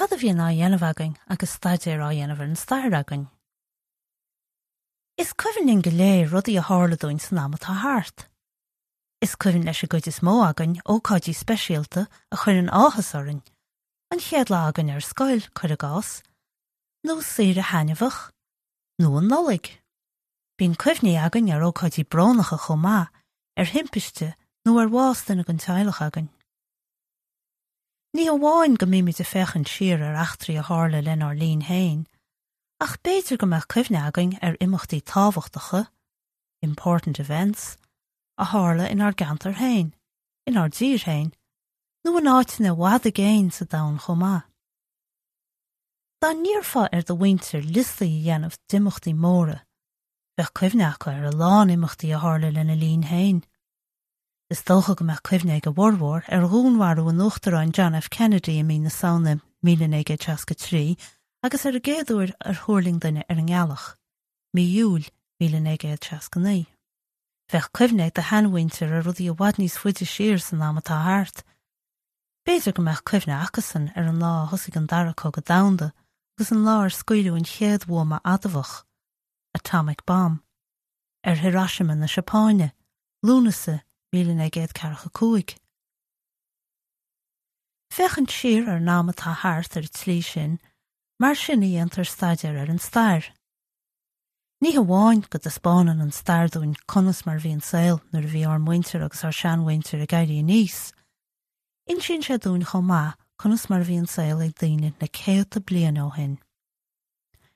Cad a bhíonn á dhéanamh againn agus staidéar á dhéanamh ar an stair againn? Is cuimhin linn go léir rudaí a tharla dúinn san am atá thart. Is cuimhin leis an gcuid is mó againn ócáidí speisialta a chuireann áthas orainn, an chéad lá againn ar scoil, cuir i gcás, nó saoire thaitneamhach, nó an Nollaig. Bíonn cuimhní againn ar ócáidí brónacha chomh maith, ar thimpiste nó ar bhás duine den teaghlach againn. Ní hamháin go mbímid ag féachaint siar ar eachtraí a tharla lenár linn féin, ach b'fhéidir go mbeadh cuimhne againn ar imeachtaí tábhachtacha, important events, a tharla inár gceantar féin, inár dtír féin, nó in áiteanna i bhfad i gcéin sa domhan chomh maith. Dá n-iarrfá ar do mhuintir liostaí a dhéanamh d'imeachtaí móra, bheadh cuimhne acu ar a lán imeachtaí a tharla lena linn féin. Is dócha go mbeadh cuimhne ag a bhformhór ar dhúnmharú an Uachtaráin John F. Kennedy i mí na Samhna 1963 agus ar an gcéad uair ar thuirling duine ar an ngealach, mí Iúil 1969. Bheadh cuimhne ag do sheanmhuintir ar rudaí i bhfad níos faide siar san am atá thart. B'fhéidir go mbeadh cuimhne acusan ar an lá a thosaigh an Dara Cogadh Domhanda agus an lá ar scaoileadh an chéad bhuama adamhach, atomic bomb, ar Hiroshima na Seapáine, Lúnasa 1945. Féachaint siar ar an am atá thart ar an tslí sin, mar sin a dhéantar staidéar ar an stair. Ní hamháin go dtaispeánann an stair dúinn conas mar a bhí an saol nuair a bhí ár muintir agus ár seanmhuintir ag éirí aníos, insíonn sé dúinn chomh maith conas mar a bhí an saol ag daoine na céadta bliain ó shin.